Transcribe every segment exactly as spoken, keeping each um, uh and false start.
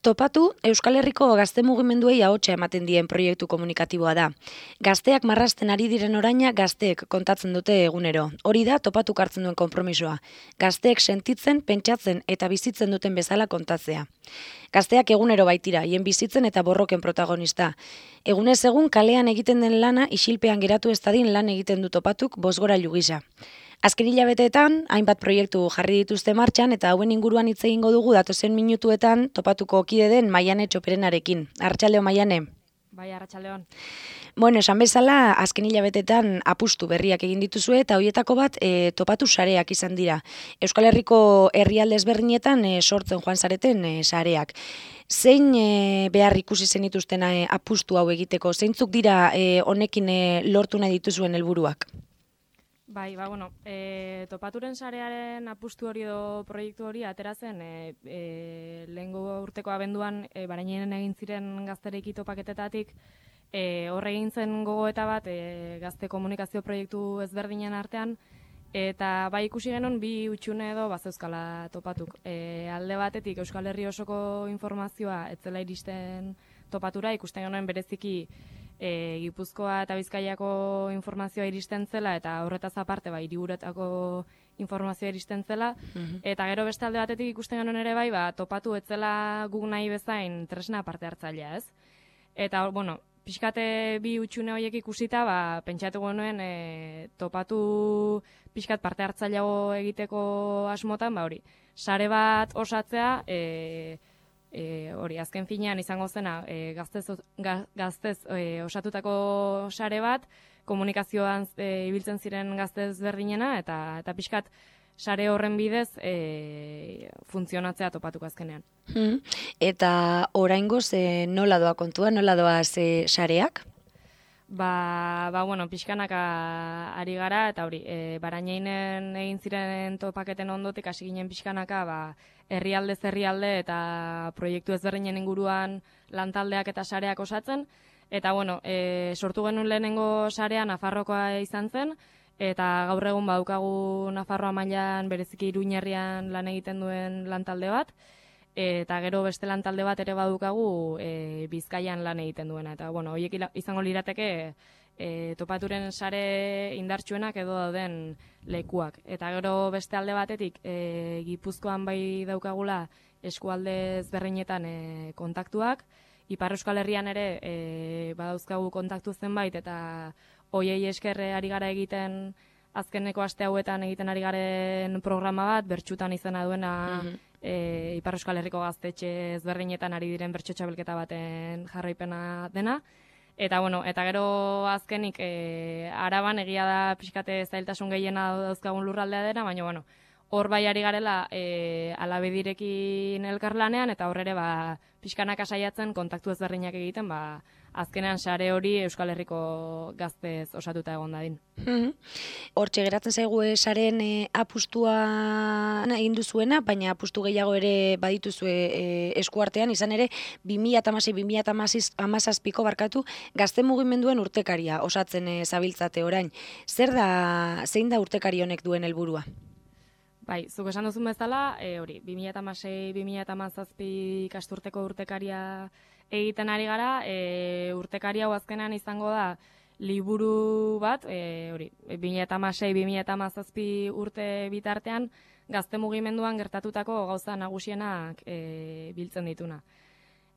Topatu, Euskal Herriko gazte mugimenduei ahotsa ematen dien proiektu komunikatiboa da. Gazteak marrazten ari diren oraina gazteek kontatzen dute egunero. Hori da Topatuk hartzen duen konpromisoa. Gazteek sentitzen, pentsatzen eta bizitzen duten bezala kontatzea. Gazteak egunero baitira, hien bizitzen eta borroken protagonista. Egunez egun kalean egiten den lana isilpean geratu ez dadin lan egiten du Topatuk bosgorailu gisa. Azken hilabeteetan, hainbat proiektu jarri dituzte martxan eta hauen inguruan hitz egingo dugu datozen minutuetan Topatuko kide den Maiane Txoperenarekin. Arratsaldeon, Maiane. Bai, arratsaldeon. Bueno, esan bezala, azken hilabeteetan apustu berriak egin dituzue eta horietako bat e, Topatu sareak izan dira. Euskal Herriko herrialde ezberdinetan e, sortzen joan zareten e, sareak. Zein e, behar ikusi zenituzten e, apustu hau egiteko? Zeintzuk dira e, honekin e, lortu nahi dituzuen helburuak? Bai, ba, bueno, e, Topaturen sarearen apustu hori edo proiektu hori atera zen e, e, lehengo urteko abenduan e, Barainen egin ziren gaztereiki topaketetatik e, horre egin zen gogoeta bat e, gazte komunikazio proiektu ezberdinen artean eta bai ikusi genuen bi utxune edo bazeuzkala Topatuk. E, alde batetik Euskal Herri osoko informazioa etzela iristen Topatura, ikusten genuen bereziki E, Gipuzkoa eta Bizkaiako informazioa iristen zela eta horretaz aparte bai hiriburuetako informazioa iristen zela uh-huh. Eta gero beste alde batetik ikusten genuen ere bai ba, Topatu etzela guk nahi bezain tresna parte hartzailea, ez? Eta bueno, pixkate bi utxune horiek ikusita ba, pentsatu genuen e, Topatu pixkat parte hartzaileago egiteko asmotan, ba hori, sare bat osatzea e, E, hori, azken finean izango zena e, gaztez, ga, gaztez e, osatutako sare bat, komunikazioan e, ibiltzen ziren gaztez berdinena, eta, eta pixkat sare horren bidez e, funtzionatzea Topatuko azkenean. Hmm. Eta oraingoz e, nola doa kontua, nola doa ze sareak? Ba, ba, bueno, pixkanaka ari gara, eta hori, e, Barainen egin ziren topaketen ondotik hasi ginen pixkanaka, ba, herrialdez herrialde eta proiektu ezberdinen inguruan lantaldeak eta sareak osatzen, eta bueno, e, sortu genuen lehenengo sarea Nafarrokoa izan zen, eta gaur egun badukagu Nafarroa mailan bereziki Iruñerrian lan egiten duen lantalde bat, eta gero beste lantalde bat ere badukagu e, Bizkaian lan egiten duena. Eta bueno, horiek izango lirateke e, Topaturen sare indartsuenak edo dauden lekuak. Eta gero beste alde batetik e, Gipuzkoan bai daukagula eskualde ezberdinetan e, kontaktuak, Ipar Euskal Herrian ere e, badauzkagu kontaktu zenbait eta hoiei esker ari gara egiten azkeneko aste hauetan egiten ari garen programa bat, bertsutan izena duena mm-hmm. e, Ipar Euskal Herriko gaztetxe ezberdinetan ari diren bertso txabelketa baten jarraipena dena. Eta bueno, eta gero azkenik e, Araban egia da pixkate zailtasun gehiena dauzkagun lurraldea dena, baina bueno, hor bai ari garela e, Alabedirekin elkarlanean eta horrere ba, pixkanaka saiatzen kontaktu ezberdinak egiten, ba, azkenean sare hori Euskal Herriko gaztez osatuta egon dadin. Hortxe geratzen zaigu sareen e, apustua egin duzuena, baina apustu gehiago ere badituzue e, eskuartean, izan ere bi mila hamasei bi mila hamazazpiko barkatu gazte mugimenduen urtekaria osatzen e, zabiltzate orain. Zer da, zein da urtekari honek duen helburua? Bai, zuk esan duzun bezala, e, hori, bi mila hamasei bi mila hamazazpi ikasturteko urtekaria egiten ari gara, e, urtekari hau azkenean izango da liburu bat, e, hori, bi mila hamasei bi mila hamazazpi urte bitartean gazte mugimenduan gertatutako gauza nagusienak e, biltzen dituna.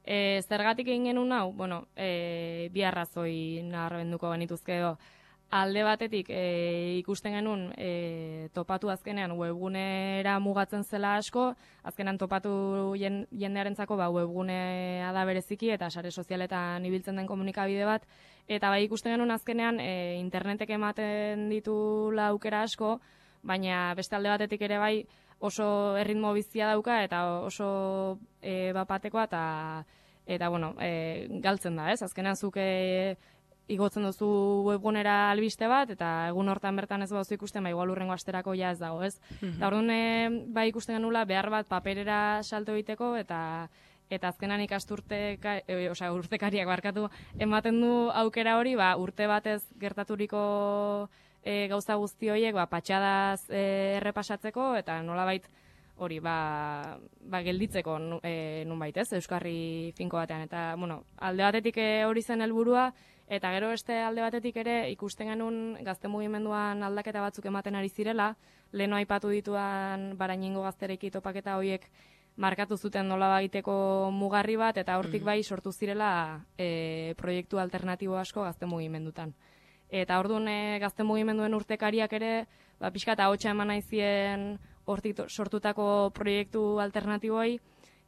E, zergatik egin genuen hau? Bueno, e, bi arrazoi nabarmenduko genituzke edo. Alde batetik e, ikusten genuen e, Topatu azkenean webgunera mugatzen zela asko, azkenean Topatu jendearentzako ba, webgunea da bereziki eta sare sozialetan ibiltzen den komunikabide bat, eta bai ikusten genuen azkenean e, internetek ematen ditula aukera asko, baina beste alde batetik ere bai oso erritmo bizia dauka eta oso e, bapatekoa eta, eta bueno, e, galtzen da, ez? Azkenean zuke igotzen duzu webgunera albiste bat, eta egun hortan bertan ez bauzu ikusten, ba, igual urrengo asterako ja ez dago, ez? Mm-hmm. Eta orduan, e, bai ikusten genula behar bat paperera salto egiteko, eta eta azkenan ikasturte, e, osea, urtekariak barkatu, ematen du aukera hori, ba, urte batez gertaturiko e, gauza guzti horiek, ba, patxadaz e, errepasatzeko, eta nolabait hori, ba, ba gelditzeko e, nunbait, ez, euskarri finko batean. Eta, bueno, alde batetik hori zen helburua, eta gero beste alde batetik ere ikusten genuen gazte mugimenduan aldaketa batzuk ematen ari zirela, leheno aipatu dituan Baraingo gaztereki topaketa horiek markatu zuten nola bagiteko mugarri bat, eta hortik bai sortu zirela e, proiektu alternatibo asko gazte mugimendutan. Eta orduan e, gazte mugimenduen urtekariak ere, ba, pixka eta hotxa eman naizien hortik sortutako proiektu alternatiboi,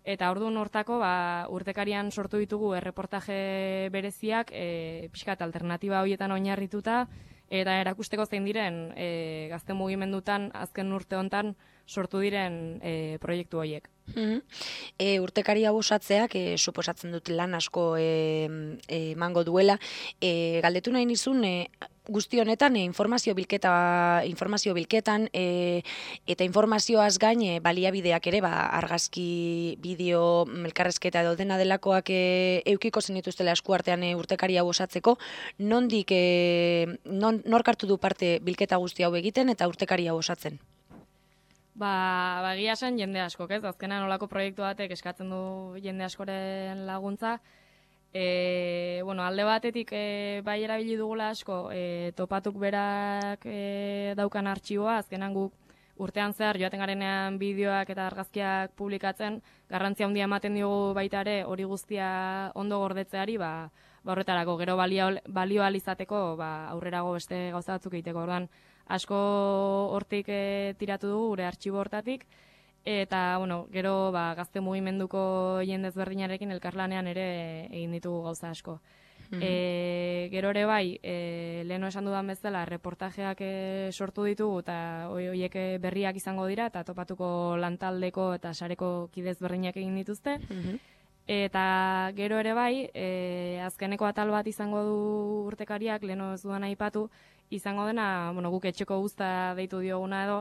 eta orduan hortako ba, urtekarian sortu ditugu erreportaje bereziak e, pixka eta alternatiba horietan oinarrituta, eta erakusteko zein diren e, gazte mugimendutan azken urte hontan sortu diren e, proiektu horiek. Mm-hmm. E, urtekari hau osatzeak e, suposatzen dut lan asko emango e, e, duela. E, galdetu nahi nizun, e, guzti honetan e, informazio bilketa informazio bilketan e, eta informazioaz gain e, baliabideak ere, ba, argazki, bideo, elkarrezketa edo dena delakoak e, eukiko zenituztela eskuartean e, urtekari hau osatzeko, nondik e, non, nork hartu du parte bilketa guzti hau egiten eta urtekari hau osatzen? Ba, ba egia esan jende askok, ez? Azkenan olako proiektu batek eskatzen du jende askoren laguntza. E, bueno, alde batetik e, bai erabili dugula asko, e, topatuk berak e, daukan artxiboa, azkenan guk urtean zehar joaten garenean bideoak eta argazkiak publikatzen, garrantzia handia ematen diogu baita ere hori guztia ondo gordetzeari, ba, ba horretarako gero balio, balio alizateko ba, aurrerago beste gauza batzuk egiteko. Orduan, asko hortik e, tiratu dugu gure artxibo hortatik, eta bueno, gero ba, gazte mugimenduko jende ezberdinarekin elkarlanean ere egin ditugu gauza asko. Mm-hmm. E, gero ere bai, e, leheno esan dudan bezala, reportajeak e, sortu ditugu, eta horiek berriak izango dira, eta topatuko lantaldeko eta sareko kidez berdinak egin dituzte. Mm-hmm. Eta gero ere bai, e, azkeneko atal bat izango du urtekariak, leheno ez dudan aipatu, izango dena, bueno, guk etxeko guzta deitu dioguna edo,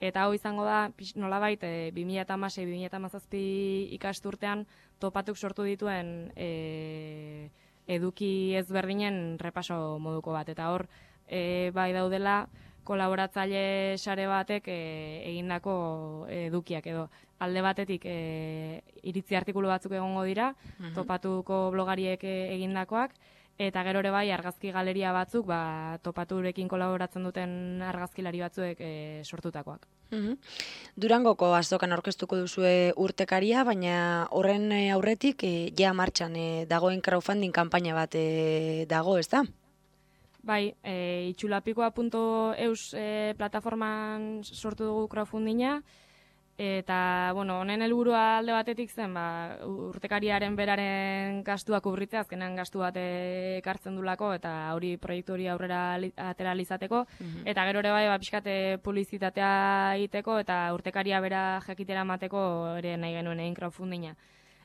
eta hau izango da, nolabait, e, bi mila hamasei bi mila hamazazpi ikasturtean topatuk sortu dituen e, eduki ezberdinen repaso moduko bat. Eta hor, e, bai daudela, kolaboratzaile sare batek e, egindako edukiak edo. Alde batetik e, iritzi artikulu batzuk egongo dira, uh-huh. topatuko blogariek egindakoak, eta gero ere bai argazki galeria batzuk, ba, topaturekin kolaboratzen duten argazkilari batzuek e, sortutakoak. Mm-hmm. Durangoko azokan aurkeztuko duzue urtekaria, baina horren aurretik e, ja martxan e, dagoen crowdfunding kanpaina bat e, dago, ez da? Bai, e, itxulapikoa puntu eus e, plataforman sortu dugu crowdfundinga, eta, bueno, honen helburua alde batetik zen, ba, urtekariaren beraren gastua kubritzea, azkenan gastu bat ekartzen dulako, eta hori proiektu hori aurrera atera izateko, mm-hmm. eta gero ere bai, ba, pixkate publizitatea egiteko, eta urtekaria bera jakitera mateko ere nahi genuen egin crowdfundinga.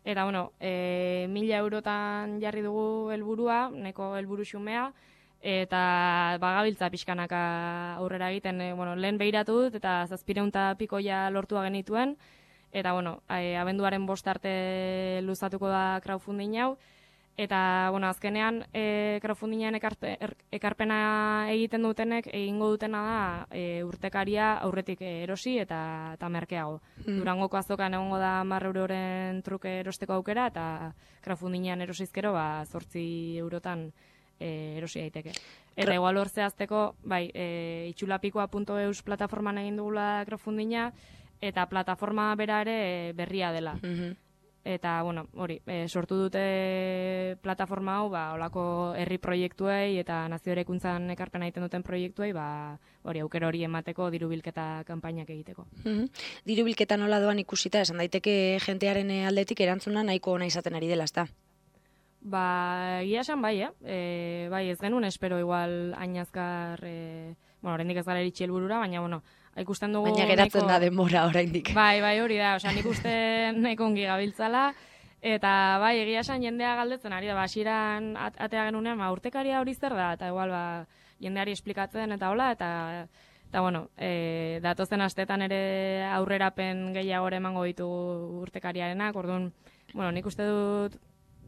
Eta, bueno, e, mila eurotan jarri dugu helburua, neko helburu xumea, eta bagabiltza pixkanaka aurrera egiten, e, bueno, lehen behiratu dut, eta zazpireunta pikoia lortua genituen, eta, bueno, e, abenduaren bost arte luzatuko da crowdfunding hau, eta, bueno, azkenean e, crowdfundingan ekarte, er, ekarpena egiten dutenek, egingo dutena da e, urtekaria aurretik erosi eta, eta merkeago. Mm. Durangoko azokan egongo da hamar euroren truke erosteko aukera, eta crowdfundingan erosizkero, ba, zortzi eurotan E, erosi daiteke. Eta igual hor zehazteko, bai, e, itxulapikoa puntu eus plataforman egin dugula crowdfundinga, eta plataforma bera ere berria dela. Mm-hmm. Eta, bueno, hori, e, sortu dute plataforma hau, ba, olako herri proiektuei eta nazio erekuntzan ekarpena egiten duten proiektuei, ba, hori, aukera hori emateko diru bilketa kanpainak egiteko. Mm-hmm. Diru bilketa nola doan ikusita, esan daiteke jentearen aldetik erantzuna nahiko ona izaten ari dela, ezta? Ba, egia esan bai, eh? E, bai, ez genuen espero igual ainazkar, e, bueno, oraindik ez gara iritsi helburura, baina, bueno, ikusten dugu... Baina geratzen nahiko... da denbora oraindik. Bai, bai, hori da, osea, nik uste nahiko ongi gabiltzala, eta bai, egia esan jendea galdetzen ari da, ba, hasieran atea genunean, ba, urtekaria hori zer da, eta igual, ba, jendeari esplikatzen eta hola, eta... Eta, bueno, e, datozen astetan ere aurrerapen gehiago emango ditu urtekariarenak, orduan, bueno, nik uste dut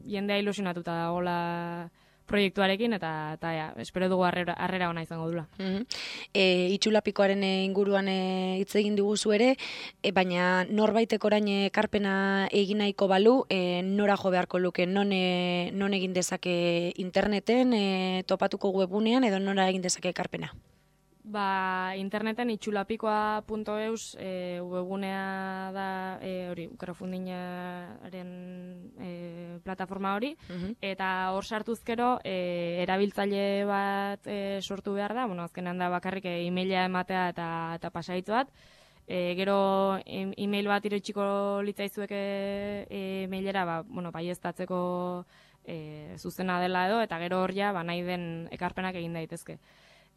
jendea ilusionatuta dagoela proiektuarekin, eta, eta ja, espero dugu harrera, harrera ona izango dula. Mm-hmm. E, itxulapikoaren inguruan hitz egin diguzu ere, e, baina norbaitek orain ekarpena egin nahiko balu, e, nora jo beharko luke, non, e, non egin dezake interneten, e, topatuko webunean, edo nora egin dezake ekarpena? Ba, interneten itxulapikoa punto eus e, webgunea da e, hori, crowdfundingaren e, plataforma hori, uh-huh. Eta hor sartuzkero e, erabiltzaile bat e, sortu behar da, bueno, azkenean da bakarrik e, e-maila ematea eta, eta pasaitz bat, e, gero e-mail bat iritsiko litzaizueke e-mailera, ba, bueno, baieztatzeko e, zuzena dela edo, eta gero hor ja, ba, nahi den ekarpenak egin daitezke.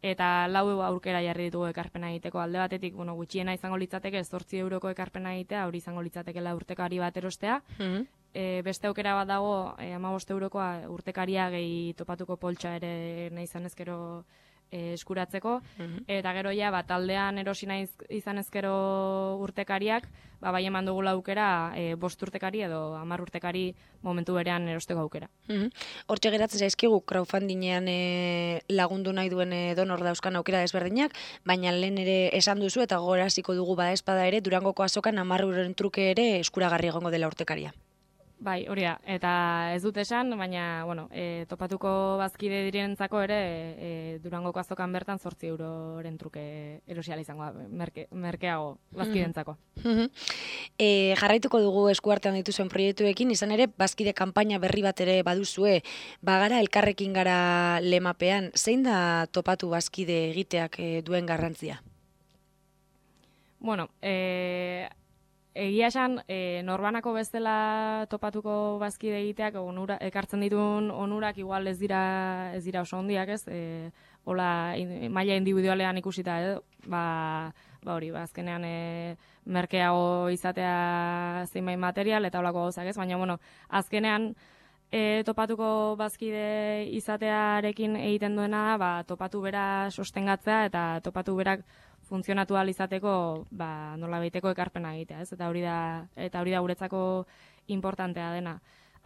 Eta lau aukera jarri ditugu ekarpena egiteko, alde batetik, bueno, gutxiena izango litzateke zortzi euroko ekarpena egitea, hori izango litzatekela urtekari bat erostea. Mm-hmm. E, beste aukera bat dago, e, hamabost eurokoa urtekaria gehi topatuko poltsa ere nahi izan ezkero e, eskuratzeko. Mm-hmm. Eta gero ja, bat aldean erosi nahi izan ezkero urtekariak, ba, bai eman dugula aukera e, bost urtekari edo hamar urtekari momentu berean erosteko aukera. Mm-hmm. Hortxe geratzen zaizkigu crowdfundingean e, lagundu nahi duen e, donor dauzkan aukera desberdinak, baina lehen ere esan duzu eta gogoraziko dugu bada espada ere Durangoko azokan hamar euroren truke ere eskuragarri egongo dela urtekaria. Bai, hori da, eta ez dut esan, baina, bueno, e, topatuko bazkide direnentzako ere e, Durangoko azokan bertan zortzi euroren truke erosiala izango da, merke, merkeago bazkidentzako. Mm-hmm. E, jarraituko dugu eskuartean dituzuen proiektuekin, izan ere, bazkide kanpaina berri bat ere baduzue, bagara elkarrekin gara lemapean, zein da topatu bazkide egiteak e, duen garrantzia? Bueno, e... Egia esan, e, norbanako bezala topatuko bazkide egiteak onura, ekartzen dituen onurak igual ez dira ez dira oso hondiak, ez? E, hola, in, maila individualean ikusita edo, ba, ba hori, ba, azkenean e, merkeago izatea zenbait material eta holako gauzak, ez? Baina, bueno, azkenean e, topatuko bazkide izatearekin egiten duena da, ba, topatu bera sostengatzea eta topatu berak funtzionatu ahal izateko, ba, nola baiteko ekarpena egitea, ez? Eta hori da, eta hori da guretzako importantea dena.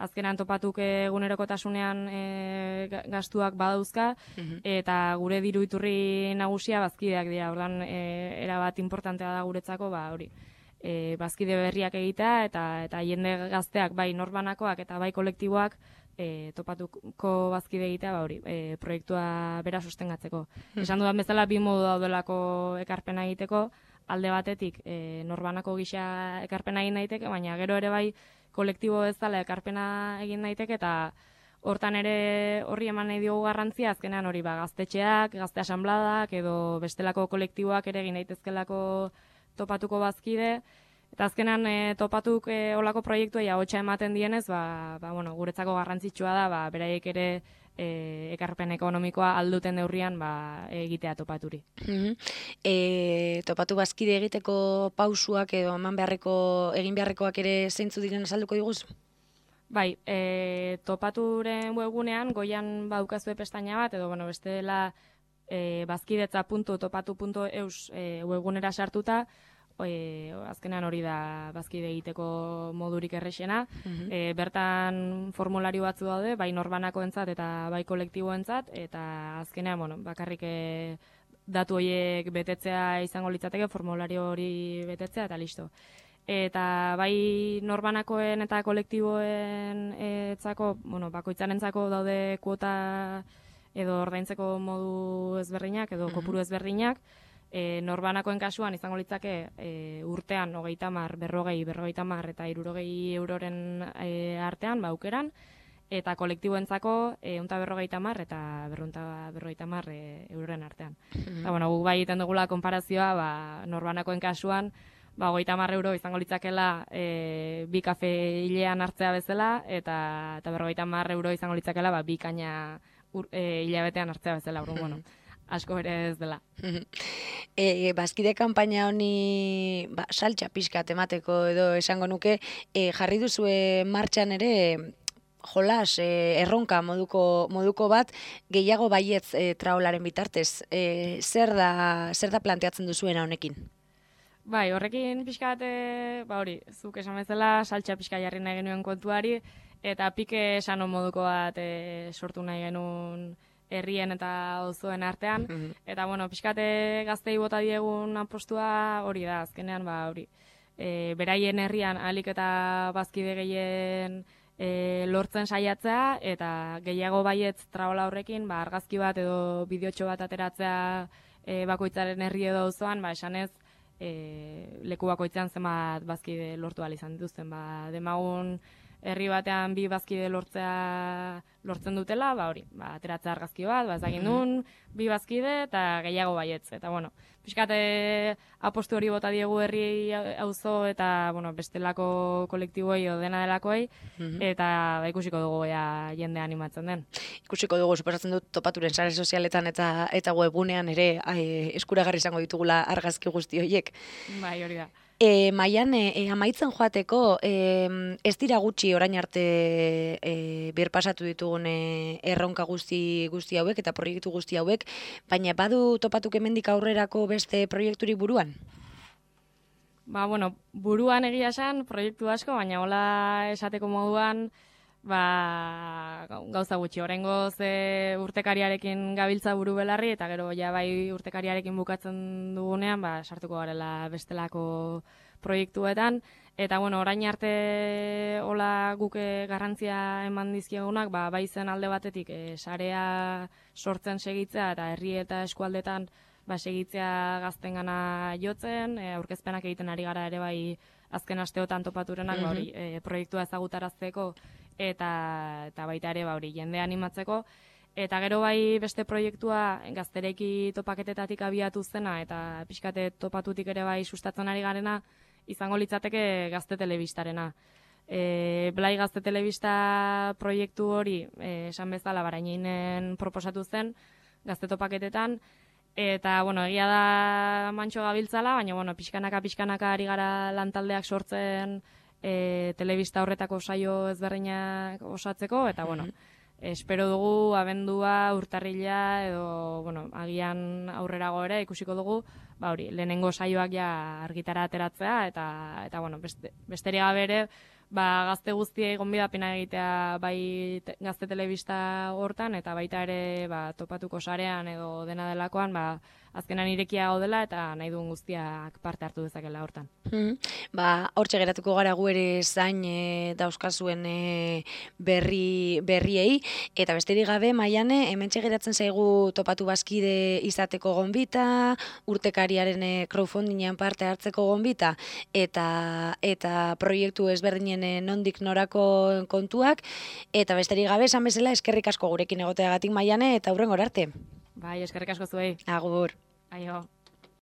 Azkenean topatuk egunerokotasunean e, gastuak badauzka, uh-huh. Eta gure diru iturri nagusia bazkideak dira. Orduan e, erabat importantea da guretzako, ba, hori. E, bazkide berriak egitea eta eta jende gazteak bai norbanakoak eta bai kolektiboak E, topatuko bazkide egitea, ba hori, e, proiektua bera sostengatzeko. Hmm. Esan dudan bezala, bi modu daudelako ekarpena egiteko, alde batetik e, norbanako gisa ekarpena egin daiteke, baina gero ere bai kolektibo ez dela ekarpena egin daiteke, eta hortan ere horri eman nahi diogu garrantzia, azkenean hori ba, gaztetxeak, gazte asanbladak, edo bestelako kolektiboak ere egin daitezkelako topatuko bazkide. Eta azkenan e, topatuk e, olako proiektua ahotsa ematen dienez, ba, ba, bueno, guretzako garrantzitsua da, ba, beraiek ere e, ekarpen ekonomikoa alduten neurrian ba, egitea topaturi. Mm-hmm. E, topatu bazkide egiteko pausuak edo eman beharreko, egin beharrekoak ere zeintzu diren azalduko diguzu? Bai, e, topaturen webgunean goian baukazue pestaina bat, edo bueno, bestela e, bazkidetza puntu topatu puntu eus e, webgunera sartuta, E, azkenean hori da bazkide egiteko modurik errexena. Uh-huh. E, bertan formulario batzu daude, bai norbanakoentzat eta bai kolektiboentzat, eta azkenean, bueno, bakarrik e, datu horiek betetzea izango litzateke, formulario hori betetzea eta listo. Eta bai norbanakoen eta kolektiboen etzako, bueno, bakoitzarentzako daude kuota edo ordaintzeko modu ezberdinak edo kopuru ezberdinak. E, norbanakoen kasuan izango litzake e, urtean hogeita hamar, berrogei, berrogeita hamar eta hirurogei euroren e, artean, ba, aukeran, eta kolektiboentzako ehun eta berrogeita hamar eta berrehun eta berrogeita hamar e, euroren artean. Mm-hmm. Eta, bueno, gu bai egiten dugula konparazioa, ba, norbanakoen kasuan, ba, hogeita hamar euro izango litzakela e, bi kafe hilean hartzea bezala, eta, eta berrogeita hamar euro izango litzakela, ba, bi kaina ur, e, hilabetean hartzea bezala, urun, bueno. Asko ere ez dela. E, bazkide kanpaina honi ba, saltxa pixka temateko edo esango nuke, e, jarri duzue martxan ere jolas, e, erronka moduko, moduko bat, gehiago baietz e, traolaren bitartez. E, zer da, zer da planteatzen duzuena honekin? Bai, horrekin pixka bat, ba hori, zuk esan bezala, saltxa pixka jarri nahi genuen kontuari, eta pike esano moduko bat e, sortu nahi genuen herrien eta auzoen artean, Mhm. eta bueno, pixkate gaztei bota diegun apostua hori da, azkenean ba hori. E, beraien herrian ahalik eta bazkide gehien e, lortzen saiatzea, eta gehiago baietz traola horrekin, ba, argazki bat edo bideotxo bat ateratzea e, bakoitzaren herri edo auzoan, ba, esanez, e, leku bakoitzean zenbat bazkide lortu ahal izan dituzten. Ba, demagun herri batean bi bazkide lortzea lortzen dutela, ba hori, ba, ateratzea argazki bat, ba, ez dakit nun, bi bazkide eta gehiago baietz. Eta bueno, pixkate apostu hori bota diegu herri auzo eta bueno, bestelako kolektiboei edo dena delakoei, eta ba, ikusiko dugu ea jende animatzen den. Ikusiko dugu, suposatzen dut topaturen sare sozialetan eta eta webgunean ere ai, eskuragarri izango ditugula argazki guzti horiek. Bai, hori da. E, Maian, e, amaitzen joateko, e, ez dira gutxi orain arte e, birpasatu ditugun e, erronka guzti guzti hauek eta proiektu guzti hauek, baina badu topatuk hemendik aurrerako beste proiekturik buruan? Ba, bueno, buruan egia esan proiektu asko, baina hola esateko moduan, ba, gauza gutxi. Oraingoz e, urtekariarekin gabiltza buru belarri, eta gero ja bai urtekariarekin bukatzen dugunean, ba, sartuko garela bestelako proiektuetan, eta bueno, orain arte hola guke garrantzia eman dizkiegunak, ba, bai zen alde batetik e, sarea sortzen segitzea eta herri eta eskualdetan ba, segitzea gaztengana jotzen, e, aurkezpenak egiten ari gara ere bai azken asteotan topaturenak, ba, hori, e, proiektua ezagutarazteko eta eta baita ere ba hori jende animatzeko, eta gero bai beste proiektua gaztereki topaketetatik abiatu zena eta pixkate topatutik ere bai sustatzen ari garena izango litzateke Gazte Telebistarena. E, Blai Gazte Telebista proiektu hori e, esan bezala Barañeinen proposatu zen gazte topaketetan, eta bueno, egia da mantxo gabiltzala, baina bueno, pixkanaka pixkanaka ari gara lantaldeak sortzen E, telebista horretako saio ezberdinak osatzeko, eta bueno, espero dugu abendua, urtarrila edo bueno, agian aurrerago ere ikusiko dugu, ba hori, lehenengo saioak ja argitara ateratzea, eta eta bueno, beste, besterik gabe ere, ba gazte guztiei gonbidapena egitea bai te, Gazte Telebista hortan, eta baita ere ba, topatuko sarean edo dena delakoan, ba azkenan irekia gaudela eta nahi duen guztiak parte hartu dezakela hortan. Mm. Ba, hortxe geratuko gara gu ere zain e, dauzkazuen e, berri, berriei, eta besterik gabe, Maiane, hementxe geratzen zaigu topatu bazkide izateko gonbita, urtekariaren e, crowdfundingean parte hartzeko gonbita, eta eta proiektu ezberdinen e, nondik norako kontuak, eta besterik gabe, esan bezala, eskerrik asko gurekin egoteagatik, Maiane, eta hurrengora arte. Bai, eskerrik asko zuei. Agur. Aio.